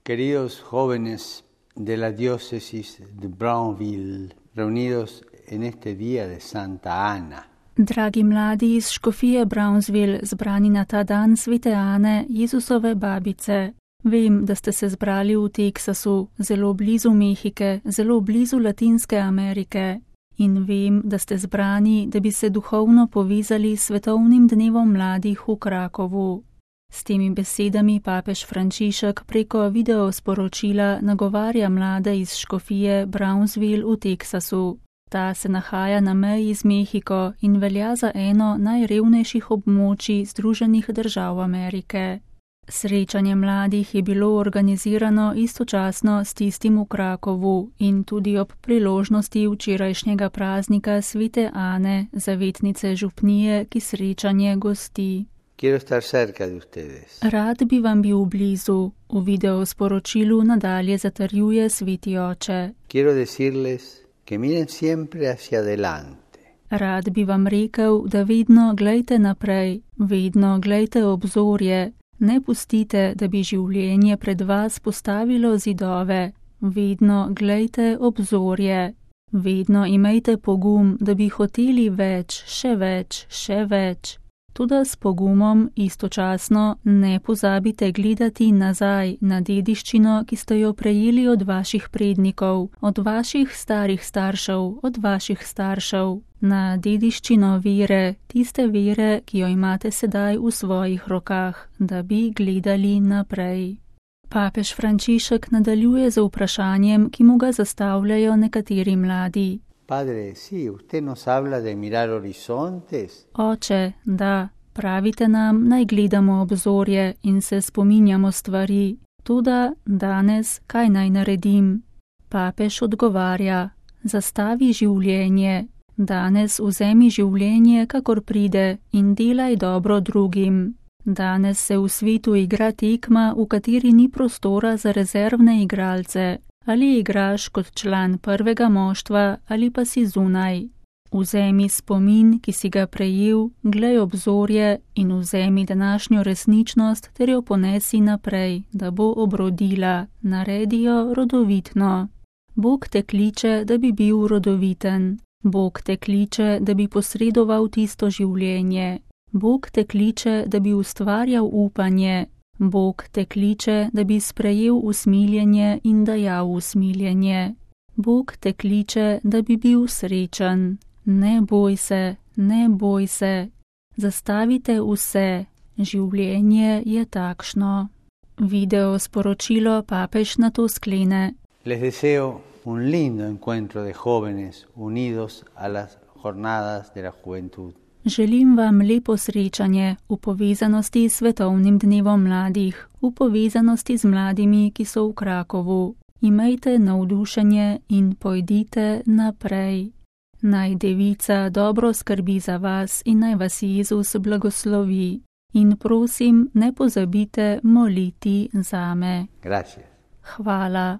Queridos jóvenes de la diócesis de Brownville, reunidos en este día de Santa Ana. Dragi mladi iz škofije Brownsville, zbrani na ta dan svete Ane, Jezusove babice. Vem, da ste se zbrali v Teksasu, zelo blizu Mehike, zelo blizu Latinske Amerike. In vem, da ste zbrani, da bi se duhovno povezali s svetovnim dnevom mladih v Krakovu. S temi besedami papež Frančišek preko videosporočila nagovarja mlade iz škofije Brownsville v Teksasu. Ta se nahaja na meji z Mehiko in velja za eno najrevnejših območij Združenih držav Amerike. Srečanje mladih je bilo organizirano istočasno s tistim v Krakovu in tudi ob priložnosti včerajšnjega praznika svete Ane, zavetnice župnije, ki srečanje gosti. Rad bi vam bil blizu, v videosporočilu nadalje zatrjuje sveti oče. Rad bi vam rekel, da vedno glejte naprej, vedno glejte obzorje, ne pustite, da bi življenje pred vas postavilo zidove, vedno glejte obzorje, vedno imejte pogum, da bi hoteli več, še več, še več. Toda s pogumom istočasno ne pozabite gledati nazaj na dediščino, ki ste jo prejeli od vaših prednikov, od vaših starih staršev, od vaših staršev, na dediščino vere, tiste vere, ki jo imate sedaj v svojih rokah, da bi gledali naprej. Papež Frančišek nadaljuje z vprašanjem, ki mu ga zastavljajo nekateri mladi. Padre, sí, usted nos habla de mirar horizontes. Oče, da, pravite nam, naj gledamo obzorje in se spominjamo stvari. Toda danes kaj naj naredim? Papež odgovarja, zastavi življenje. Danes vzemi življenje, kakor pride, in delaj dobro drugim. Danes se v svetu igra tekma, v kateri ni prostora za rezervne igralce. Ali igraš kot član prvega moštva, ali pa si zunaj. Vzemi spomin, ki si ga prejel, glej obzorje in vzemi današnjo resničnost ter jo ponesi naprej, da bo obrodila, naredi jo rodovitno. Bog te kliče, da bi bil rodoviten. Bog te kliče, da bi posredoval tisto življenje. Bog te kliče, da bi ustvarjal upanje. Bog te kliče, da bi sprejel usmiljenje in dajal usmiljenje. Bog te kliče, da bi bil srečen. Ne boj se, ne boj se. Zastavite vse. Življenje je takšno. Video sporočilo papež nato sklene. Les deseo un lindo encuentro de jóvenes unidos a las jornadas de la juventud. Želim vam lepo srečanje v povezanosti s svetovnim dnevom mladih, v povezanosti z mladimi, ki so v Krakovu. Imejte navdušenje in pojdite naprej. Naj Devica dobro skrbi za vas in naj vas Jezus blagoslovi. In prosim, ne pozabite moliti zame. Gracias. Hvala.